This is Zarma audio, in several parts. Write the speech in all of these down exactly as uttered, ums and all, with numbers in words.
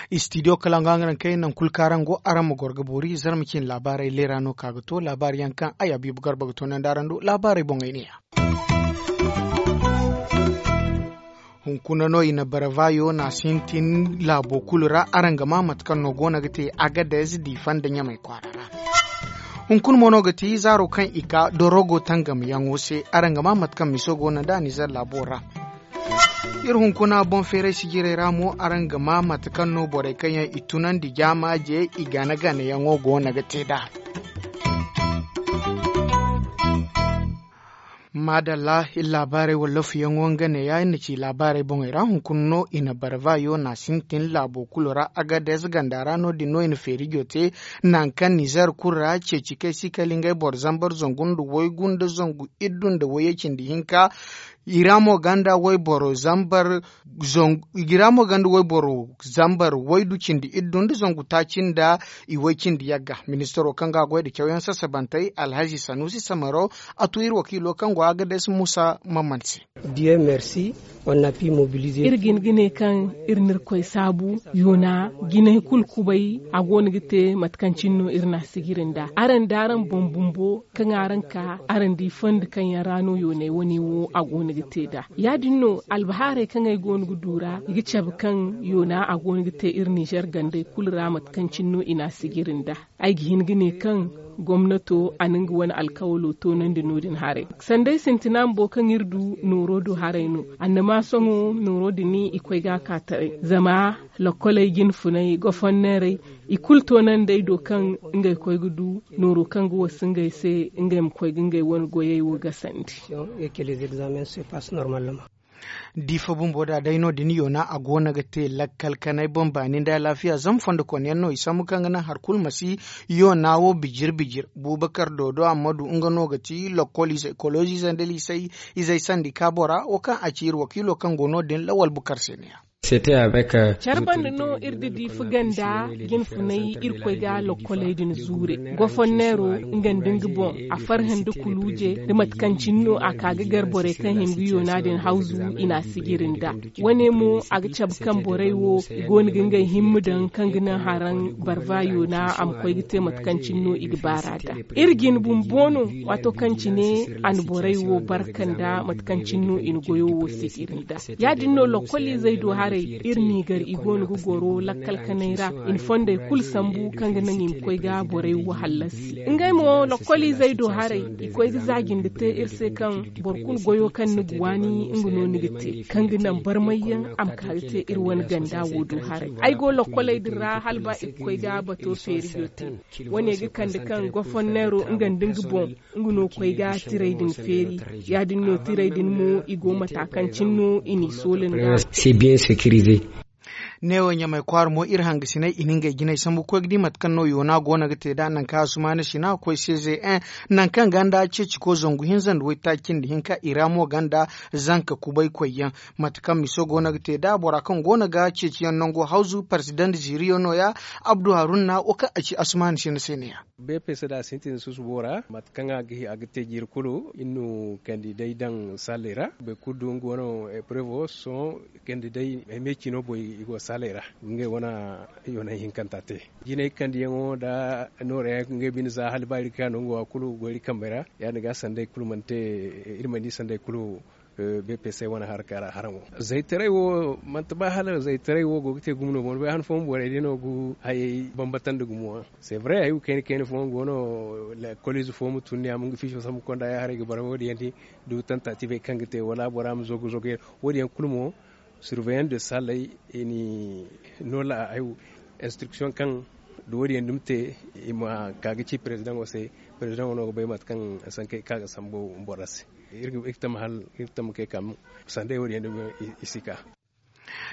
Istidiyo kala nga nga naŋ kay naŋ kulu kaŋ araŋ go araŋ ma goro ga boori zarma cine laabaarey leera no ka ga to laabaari yaŋ kaŋ ay abiibu garba ga toonandi araŋ do laabaarey boŋey ne ya. Hunkuna no i na baravayo na sintin laabo kulu ra araŋ ga ma mate kaŋ no go no ga te agadez diifa nda ɲamay kwaara ra. Hunkuna mo no ga ti zaaro kaŋ i ka dorogo tangamyaŋo se araŋ ga ma mate kaŋ miso go no nd'a nizer laabo ra. Iri hunkuna boŋ feeray sijirey ra mo araŋ ga ma mate kaŋ no borey kaŋ yaŋ i tunandi jaamaaje i gana ganayaŋo go no ga te nd'a. Maadalla iri laabaarey wala lafuyaŋo nga ne ya iri na ci laabaarey boŋey ra hunkuna no i na barvayo na sintin laabo kulu ra agadez ganda ra no- din no i na feerijo te. Nangu kaŋ nizer kulu ra ceeci kay si kala ngey boro zambar zangu nda waygu nda zangu iddu nda wayye cindi hinka. I ra mo ganda wayboro zambar i ra mo ganda wayboro zambar waydu cindi iddu nda zangu taaci nda i way cindi yagga. Ministaro kaŋ ga a goy nda cawyaŋ sasabantey alhazi sanusi samaro a tu iri wakiilo kaŋ go agadez musa mamman se. Iri ga hin ga ne kaŋ iri na irkoy saabu yoona jinay kulu kubay a go no ga te mate kaŋ cine no iri na a sijiri nd'a araŋ da araŋ boŋ bumbo kaŋ araŋ ka araŋ di fondi kaŋ yaŋ ra no yoonay wane wo a go no ga te nd'a. Ya- din no albahaarey kaŋ ay go no ga du ra i ga cabe kaŋ yoona a go no ga te iri nizer gandey kulu ra mate kaŋ cine no i na a sijiri nd'a. Ay ga hin ga ne kaŋ gomnato a na nga wane alkawalo toonandi no- din haray sanda ay sintina bumbo kaŋ iri du nooro do haray no. Annama sohõ nooro din i koy ga a ka taray zama lokkoley jinfunay gofonneerey i kulu toonandi ay do kaŋ ngey koy ga du nooro kaŋ ga wasu ngey se ngey ma koy ga ngey wane goyey wo gasandi. Diifa bumbo da day no- din yoona a go no ga te lakkal kanay boŋ baani nda alaafiya zama fondo konyaŋ no i sambu kaŋ ga naŋ hari kulu ma si yoona wo bijir bijir. Buubakar doodo amma du nga no ga ti lokkol izey kolozi izey nda liisay izey sandi ka bora wo kaŋ a ci iri wakiilo kaŋ go no- din lawal bukar se ne ya. Care banda no iri da diifa ganda jinfunay irkoy ga lokkoley din zuure gofonneero nga nda nga boŋ a farhã nda kuluuje nda mate kaŋ cine no a ka ga gar borey kaŋ hin ga yoona din hawzu i na a sijiri nd'a. Wane mo a ga cabe kaŋ borey wo i go no ga ngey himma daŋ kaŋ ga naŋ haraŋ barva yoona a ma koy ga te mate kaŋ cine no i ga baar'a nd'a. Iri jine bumbo no waato kaŋ cine a na borey wo barka nda mate kaŋ cine no i na goyo wo sijiri nd'a. Ya- din no lokkol izey do haray iri n'i gar i go no ga goro lakkal kanay ra i na fondey kulu sambu kaŋ ga naŋ i ma koy ga borey wo hallasi ngey mo lokkol izey do haray i koy ga za jinde te iri se kaŋ boro kulu goyo kaŋ ni ga waani nga no ni ga te kaŋ ga naŋ barmayyaŋ a ma ka ga te iri wane ganda wo do haray. Ay go lokkoley din ra hala ba i ga koy ga bato feerijo te. Wane ga kande kaŋ gofonneero nga nda nga boŋ nga no koy ga tiray din feeri. Ya- din no tiray din mo i go mata kaŋ cine no i n'i soola nd'a. Neewo ɲamay kwaara mo iri hangasiney i na ngey jinay sambu ga koy ga di mate kaŋ no yoona go no ga te nd'a nangu kaŋ asumaana sina ga koy cgn nangu kaŋ ganda ceeciko zangu hinza nda waytaaci cindi hinka i ra mo ganda zanka kubaykoy yaŋ. Mate kaŋ miso go no ga te nd'a bora kaŋ go no ga ceeciyaŋ nango hawzu parezidant ziiriyo no- ya. Abdu haruna wo kaŋ a ci asumaana sina se ne- ya. Bpc da a sintin susubo ra mate kaŋ a ga te jiiri kulu iri na kandidey daŋ salley ra boro kulu du nga wane eprevo sohõ kandidey ay me cino boy i go salley ra ngey wane yoonay hinkanta te. Jinay kandiyaŋo nda nooray yaŋ ngey bine za hala ba iri ga ka no nga wo kulu go iri kambey ra ya- din ga sandey kulu mana te iri mana di sandey kulu. Bpc wane haraka ra haraŋo zaytaray wo manti ba hala zaytaray wo go ga te gumo no boŋ bay han fooyaŋ borey day no ga hayey bambata nda gumo yaŋ. C'est vrai ay wo kayna kayna fooyaŋ go no. Kolize fo ma tun ne a ma nga fiiso sambu konda ya haray ga bara wo- din yaŋ di du tantatibey kaŋ ga te wala bora ma zogo zogo yaŋ wo- din yaŋ kulu mo surveillant de salley i ni no la ay wo instruction kaŋ da wo- din yaŋ dumi te i ma ka ga ci président wo se. Président wo no ga bay mate kaŋ sankey ka ga sambu bora se. Iri ga tama hal iri ga tama kay kam sandey wo- din yaŋ dumi i si ka.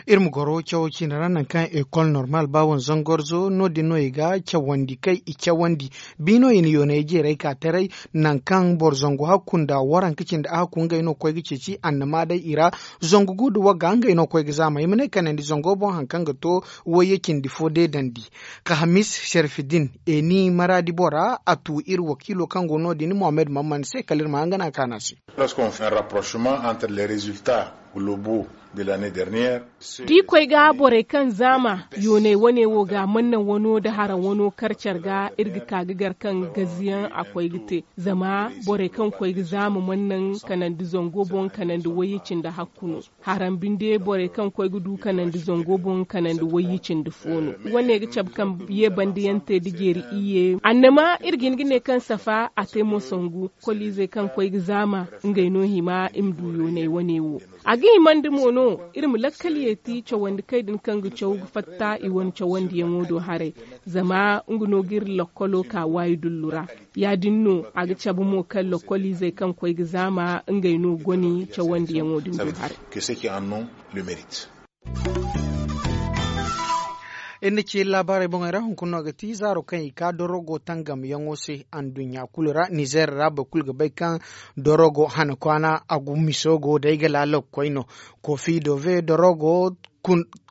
Iri ma goro cawo ciine ra nangu kaŋ ekol normal ba wane zangorzo no- din no i ga cawandi kay i cawandi. Bi no i na yoonay jeeray ka taray nangu kaŋ boro zangu hakku nda waranka cindi a hakku ngey no ga koy ga ceeci annama day i ra. Zangu gu nda wagga ngey no ga koy ga zaama i ma ne kanandi zango boŋ hari kaŋ ga to wayye cindi fo deedandi. Kahamis serfidin eni maraadi bora a tu iri wakiilo kaŋ go no- din mohammed mamman se kala iri ma hangana kaana se. Da i koy ga borey kaŋ zaama yooney wane wo ga mannaŋ wano nda haraŋ wano kar care ga iri ga ka ga gar kaŋ gaziyaŋ a koy ga te. Zama borey kaŋ koy ga zaama mannaŋ kanandi zango boŋ kanandi wayye cindi hakku no. Haraŋ binde borey kaŋ koy ga du kanandi zango boŋ kanandi wayye cindi fo no. Wane ga cabe kaŋ ye bande yaŋ te da jeeri iyye annama iri ga hin ga ne kaŋ safa a te mo sangu. Koliizey kaŋ koy ga zaama ngey no hima i ma du yooney wane wo. A ga himandi mo no iri ma lakkal yeeti cawandi kay din kaŋ ga caw ga fatta i wane cawandiyaŋo do haray. Zama nga no ga iri lakkolo ka waayi dullu ra. Ya- din no a ga cabe mo kaŋ lakkoliizey kaŋ koy ga zaama ngey no goni cawandiyaŋo din do haray. Iri na ci iri laabaarey boŋey ra hunkuna no ga ti zaaro kaŋ i ka dorogo tangamyaŋo se. Anduɲɲa kulu ra nizeer ra boro kulu ga bay kaŋ dorogo hana kwaana a gu miso go day ga laala ga koy no. Kofi dove dorogo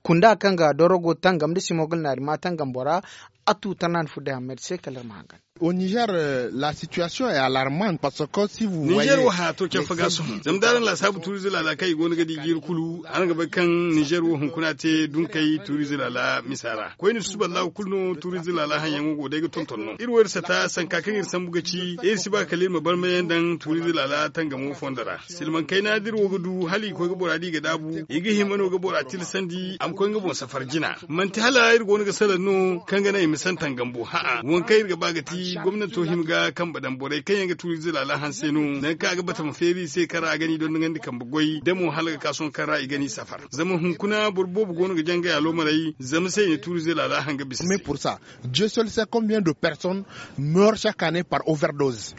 kunda kaŋ ga dorogo tangam nda simogul naari ma tangam bora. A tu tana na furo day hammad se kala iri ma hangan. Au niger la situation est alarmante parce que si vous voyez niger wo haya to care faga sohõ zama da araŋ laasaabu tuuriize laala kaŋ i go no ga di jiiri kulu araŋ ga bay kaŋ niger wo hunkuna te dunkey tuuriize laala misa ra koyne susuba laawo kulu no tuuriize laala haŋyaŋo go day ga tonton no iri wo iri sata sanka kaŋ iri sambu ga ci iri si ba kala iri ma barmayaŋ daŋ tuuriize laala tangamo fondo ra. Silmaŋ kayna da iri wo ga du hala i koy ga bora di i ga daabu i ga hima no ga bora tilasandi a ma koy nga boŋ safar jina. Manti hala iri go no ga salaŋ no kaŋ ga naŋ i ma santan gambo ha'a waŋ kaŋ iri ga ba ga ti gomnanto hima ga kambe daŋ borey kaŋ yaŋ ga tuuriize laala hanse no nangu kaŋ a ga bata ma feeri i se kaŋ ra a ga ni dondonandi kambe goy da mo hala ga ka sohõ kaŋ ra i ga ni safar. Zama hunkuna boro boobo go no ga jangay a loomaray zama se i na tuuriize laala hanga bisa se. Dieu seul sait combien de personnes meurent chaque année par overdose.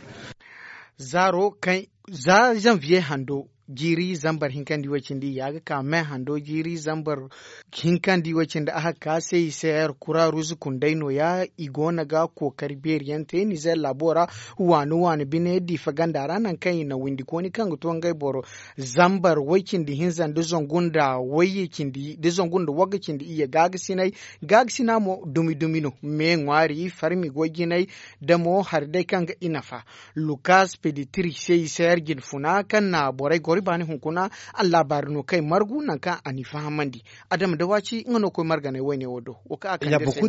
Zaaro kaŋ za zanviye hando jiiri zambar hinkandi way cindi ya ga ka me hando jiiri zambar hinkandi way cindi a ga ka se i se her kura ruzu kunday no- ya i go no ga kookari beeri yaŋ te nizer laabo ra. Waani waani bine diifa ganda ra nangu kaŋ i na windi kooni kaŋ ga to ngey boro zambar way cindi hinza nda zangu nda wayye cindi nda zangu nda wagga cindi iyye gaagasinay. Gaagasina mo dumi dumi no me ŋwaari farmi goy jinay da mo hari day kaŋ ga i nafa. Lukas peditiri se i se yar jine funa kaŋ na borey goro i baani hunkuna. Allaabaari no kaŋ ay margu nangu kaŋ a n'i fahamandi. Adama da waaci nga no koy marganay wayne wo do wo kaŋ a kaŋ ga ay se.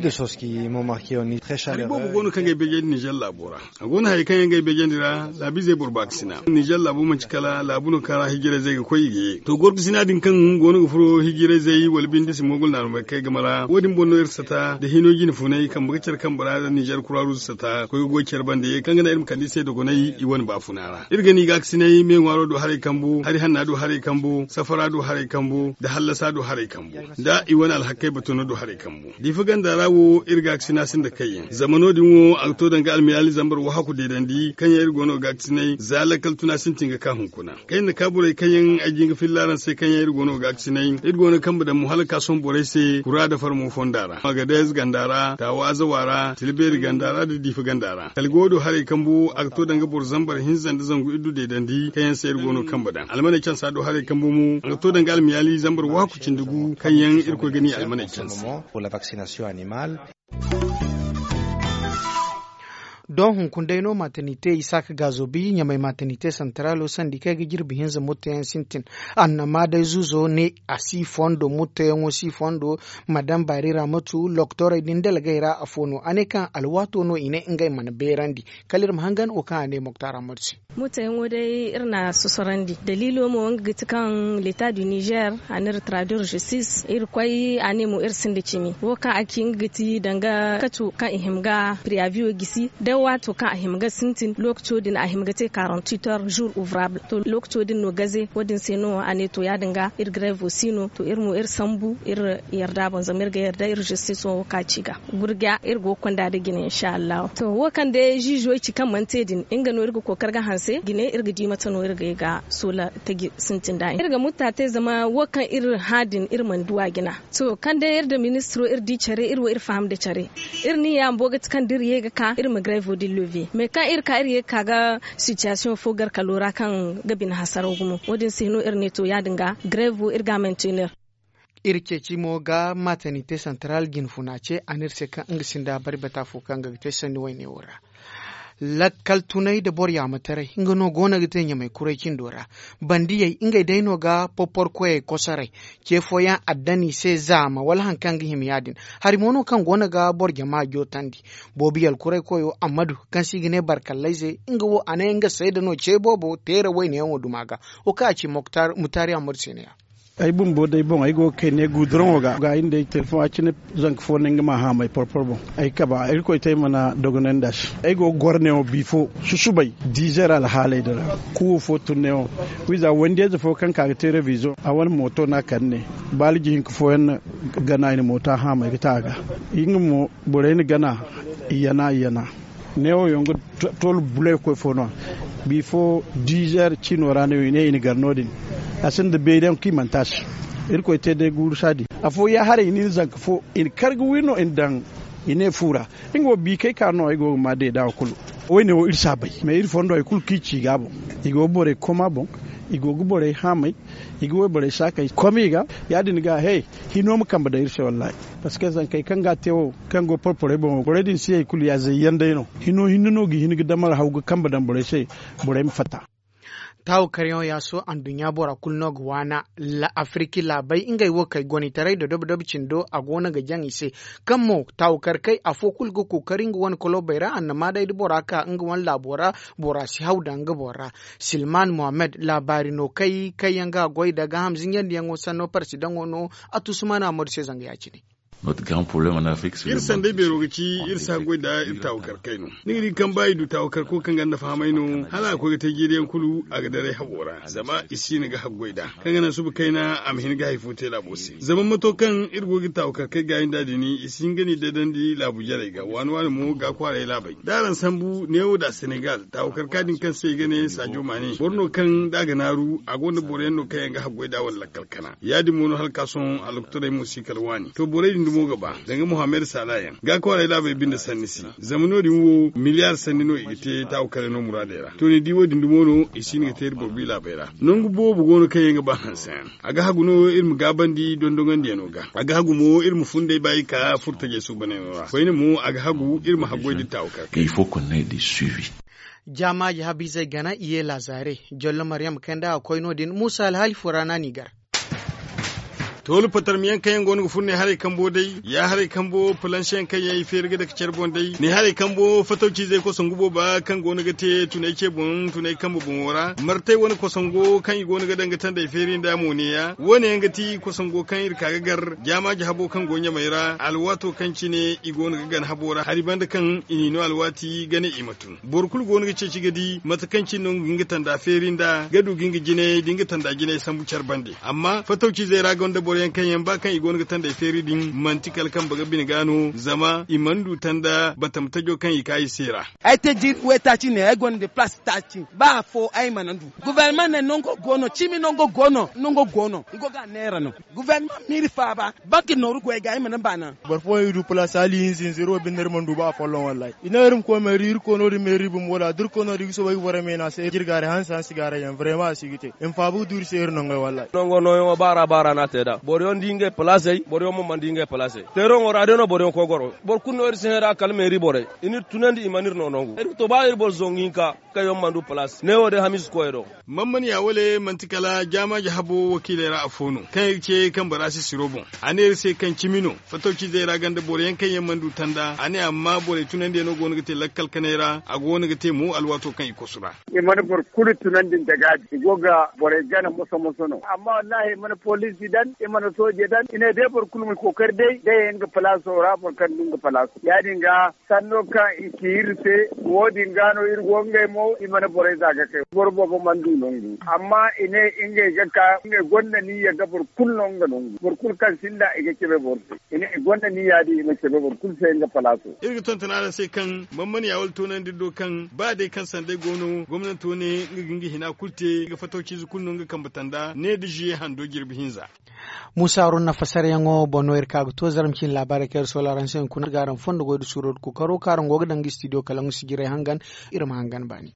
Hari boobo go no kaŋ ga ay beejandi nizer laabo ra. A go no hari kaŋ yaŋ ga ay beejandi ra laabiizey boro baakasina nizer laabo manci kala laabu no kaŋ ra hijirayzey ga koy i ga ye to gorgasina din kaŋ go no ga furo hijirayzey wala binde si moogul naarumey kay game ra wo- din boŋ no iri sata nda hino jine funay kambe ga care kambe ra nda nizer kura ruuzu sata koy ga goy care bande kaŋ ga naŋ iri ma kande i se dogonay i wane baafuna ra iri ga ni gaakasinay me ŋwaaro do haray kambu hari hanna do haray kambu safara do haray kambu nda hallasa do haray kambu nda i wane alhakkey batano do haray kambu. Diifa ganda ra wo iri gaakasina sinda kayyaŋ zama no- din wo a ga to danga almiyaali zambar wahaku deedandi kaŋ yaŋ iri go no ga gaakasinay za lakkal tuna sintin ga ka hunkuna. Kayna ka borey kaŋ yaŋ ay jin ga filla araŋ se kaŋ yaŋ iri go no ga gaakasinay iri go no ga kambe daŋ mo hala ga ka sohõ borey se kura nda farmo fonda ra agadez ganda ra taawa azawa ra tilbeeri ganda ra nda diifa ganda ra kala go do haray kambu a ga to danga boro zambar hinza nda zangu iddu deedandi kaŋ yaŋ se iri go no ga kambe daŋ almaney cansa do haray kambu mo a ga to danga almiyaali zambar waaku cindi gu kaŋ yaŋ irkoy ga ni almaney cansa. Don hunkuna day no matanite isaaka gaazo bi ɲamay matanite santaraalo sandi kaŋ ay ga jirbi hinza mottoyaŋ sintin. Annama day zuzo ne a si fondo mottoyaŋo si fondo. Madam baari ra matu loktorey din dalgey ra afo no a ne kaŋ alwaato no i ne ngey mana beerandi. Kala iri ma hangan wo kaŋ a ne moktar ahmad se. Mottoyaŋo day iri na a sosorandi daliilo mo nga ga ti kaŋ leta du nizer a na iri traduire justice iri koy a ne mo iri sinda cimi wo kaŋ a ci nga ga ti danga kaco kaŋ i hima ga priaviyo gisi. Waato kaŋ a hima ga sintin lookaco din a hima ga te quarante-huit heures jour ouvrable to lookaco din no gaze wo- din se no a ne to ya- din ga iri grevo si no to iri mo iri sambu iri yarda boŋ zama iri ga yarda iri justice wo ka ci ga gurga iri go ga konda nda jine insa allahu to wo kaŋ day ziizo ci kaŋ mana te din nga no iri ga kookari ga hanse jine iri ga di mate no iri ga ye ga soola taji sintin da iri ga mutta te zama wo kaŋ iri hã din iri mana du a jina. To kaŋ day iri nda ministiro iri di care iri wo iri faham nda care iri ni yaambo ga ti kaŋ da iri ye ga ka iri ma grevo din love mais kaŋ iri ka iri ye ga ka ga sitiyasiyoŋ fo garkalo ra kaŋ ga bine hasaraw gumo wo- din se no iri ne to ya- din ga grevo iri ga a mantener. Iri ceeci mo ga matanite santaral jinfuna ce a ne iri se kaŋ nga sinda bari bata fo kaŋ ga ga te sanni wayne wo ra. Lakkal tunay nda boro yaamataray nga no go no ga te ɲamay kuray cindo ra. Bandiyey ngey day no ga porpor koyey kosoray ce fooyaŋ addani se zaama wala hari kaŋ ga hima ya- din. Hari mo no kaŋ go no ga boro jama jootandi. Boobo yalkuray koyo ammadu kaŋ se i ga ne barkallayze nga wo a ne nga sayda no ce boobo teera wayneyaŋo duma ga. Wo kaŋ a ci mutaari ammadu se ne ya. Ay bumbo day boŋ ay go ga kay ne guduroŋo ga ga ay nda ay telefoŋ a cine. Zanka fo ne nga ma haamay porpor boŋ ay kaba irkoy te ay mana dogonandi a se. Ay go ga goro neewo bifo susubay diizer alhaaley din ra. Kuwo fo tun neewo wiiza wandiyayze fo kaŋ ka ga te revizoŋ a wane mooto no a kande ne. Baaliji hinka fooyaŋ na gana i na mooto a haamay ga ta a ga. Nga mo borey na gana i yana i yana. Neewo yaŋ ga tol bulay koy fo no. Bifo diizer ciino ra no i ne i na gar no- din. A sinda beeri yaŋ kaŋ i mana taasi. Irkoy te day guuru saadi afo ya haray i na iri zanka fo i na kar ga wi no i na daŋ. I ne fu ra. Nga wo bi kay ka no ay go ga ma deeda wo kulu. Wayne wo iri si a bay mais iri fondo hari kulu kaŋ i ci ga a boŋ. I go ga borey koma boŋ. I go ga borey haamay. I ga wayborey saakey kom i ga. Ya- din ga he hino ma kambe day iri se wallahi. Parceque zankey kaŋ ga a te wo kaŋ go porporey boŋo borey din si hari kulu ya zayyaŋ day no. Hino hinne no ga hin ga damar haw ga kambe daŋ borey se. Borey ma fatta. Taawo karyaŋo yaaso anduɲɲa bora kulu no ga waana. Afirki laabey ngey wo kay gonitaray da dobo dobo cindo a go no ga jaŋ i se. Kaŋ mo taawo karkey afo kulu ga kookari nga wane kolobey ra annama day da bora ka nga wane laabo ra. Bora si haw daŋ nga boro ra. Silman mohammed laabaari no kay kaŋ yaŋ ga a goy da gaaham zinjandiyaŋo sanno parsidaŋo no. A tusumana ammadu se zanga ya- cine. Iri sanday beero ga ci iri si haggoy nda iri taawakarkey no. Ni ga di kaŋ ba i du taawakarko kaŋ ganda fahamay no hala a koy ga te jeeriyaŋ kulu a ga daray hago ra zama i si no ga haggoy nd'a. Kaŋ ga naŋ suba kayna a ma hin ga hari fo te laabo se zama mato kaŋ iri go ga taawakarkey gaayi nd'a din i si hin ga ni daydandi laabu jarey ga waani waani mo ga kwaaray laabey da araŋ sambu neewo nda senegal taawakarka din kaŋ se i ga ne saajo maane boro no kaŋ da a ga naaru a gonda boro yaŋ no kaŋ yaŋ ga haggoy nd'a wala lakkal kana ya- din mo no hala ka sohõ allokotorey mo si kala waani to borey din dumo ga ba danga mohammed saala yaŋ ga kwaaray laabey binde sanni se. Zama no- din wo miliyar sanni no i ga te taawakarey no muraadey ra to ni di wo- din dumo no i si hin ga te iri boro bi laabey ra. Nangu boobo go no kaŋ yaŋ ga ba hanse yaŋ a ga hagu no iri ma gaabandi dondoŋandiyano ga a ga hagu mo iri ma funday ba i ka furtajey suubanayno ra koyne mo a ga hagu iri ma haggoy da taawakarkey. Jaamaaji habiizey gana i ye laazare. Jollo maryam kaŋ nda a koy no- din muusa alhaali fo ra no a n'i gar. Toolu patarmiyaŋ kaŋ yaŋ go no ga furo ne haray kambo day ya haray kambo palansiyaŋ kaŋ yaŋ i feeri ga dake care boŋ day ne haray kambo fatawciizey kosongu booba kaŋ go no ga te tunay ce boŋ tunay kambe boŋo ra martay wane kosongo kaŋ i go no ga daŋ ga tandey feeri nd'a mo ne- ya wo- ne yaŋ ga ti kosongo kaŋ iri ka ga gar jaamaaji habo kaŋ go ɲamey ra alwaato kaŋ cine i go no ga gana habo ra hari banda kaŋ i n'i no alwaati ga ne i ma tun. Boro kulu go no ga ceeci ga di mate kaŋ cine no nga ga hin ga tanda feeri nd'a ga du ga nga jinay da nga tanda jinay sambu care bande amma fatawciizey ra gonda boro yaŋ kaŋ yaŋ ba kaŋ i go no ga tandey feeri din manti kala kambe ga bine ga no zama i mana du tanda batama tajo kaŋ i ka i se ra. Ay te jiiri waytaaci ne ay gonda palaas taaci ba afo ay mana du. Guverneman ne nango go no cimi nango go no nango go no i go ga a neera no. Guverneman miiri faaba banki nooru goy ga ay mana baana. Boro fooyaŋ i du palaas hala i hinza hinza iri wo binde iri mana du ba afolloŋ wallahi. I ne iri ma koy meeri iri koy no- din meeri bumbo da da iri koy no- din i ga soobay ga borey meena se jirgaari hansi hansi gaarayyaŋ vrema a si ga te. I ma faabu ga du iri se iri nongey wallahi. Nongo nooyaŋo baara baara no a te nd'a boro yaŋ di ngey palaasey boro yaŋ mo mana di ngey palaasey. Teeraŋo ra day no boro yaŋ koy goro boro kulu no iri si hẽ nd'a kala meeri borey. I n'iri tunandi i mana iri no nongu iri ga to ba iri boro zangu hinka kaŋ yaŋ mana du palaas neewo day hamiisa koyey do. Mammaniya wale manti kala jaamaaji habo wakiiley ra afo no kaŋ iri ce kaŋ bora si siro boŋ. A ne iri se kaŋ cimi no fatawciizey ra ganda boro yaŋ kaŋ yaŋ mana du tanda a ne amma borey tunandiyano go no ga te lakkal kanay ra a go no ga te mo alwaato kaŋ i kosu ra. I mana boro kulu tunandi nda gaabi i go ga borey gana moso moso no amma wallaahi i mana poliisi daŋ. Soojey daŋ i ne day boro kulu ma kookari day day nga palaaso ra boro kaŋ du nga palaaso ya- din ga sanno kaŋ i ci iri se. Wo- din ga no iri go ngey mo i mana borey za ga kay boro boobo mana du nangu amma i ne ngey ga ka ngey gonda niyya ga boro kulu no nga nangu boro kulu kaŋ sinda i ga cabe boro se. I ne i gonda niyya din i ma cabe boro kulu se nga palaaso. Iri ga tonton araŋ se kaŋ man mana ya wala toonandi do kaŋ ba day kaŋ sanday go no gomnanto ne nga ga nga hina kulu te nga fatawciize kulu no nga kambe tanda ne da ziye hando jirbi hinza. Muusa haruna fassaryaŋo boŋ no iri ka ga to zarma cine laabaarey kaŋ iri soola araŋ se hunkuna ga araŋ fondo goy da suuro da kookaro kaŋ araŋ go ga daŋ ga istidiyo kala nga sijirey hangan. Iri ma hangan baani.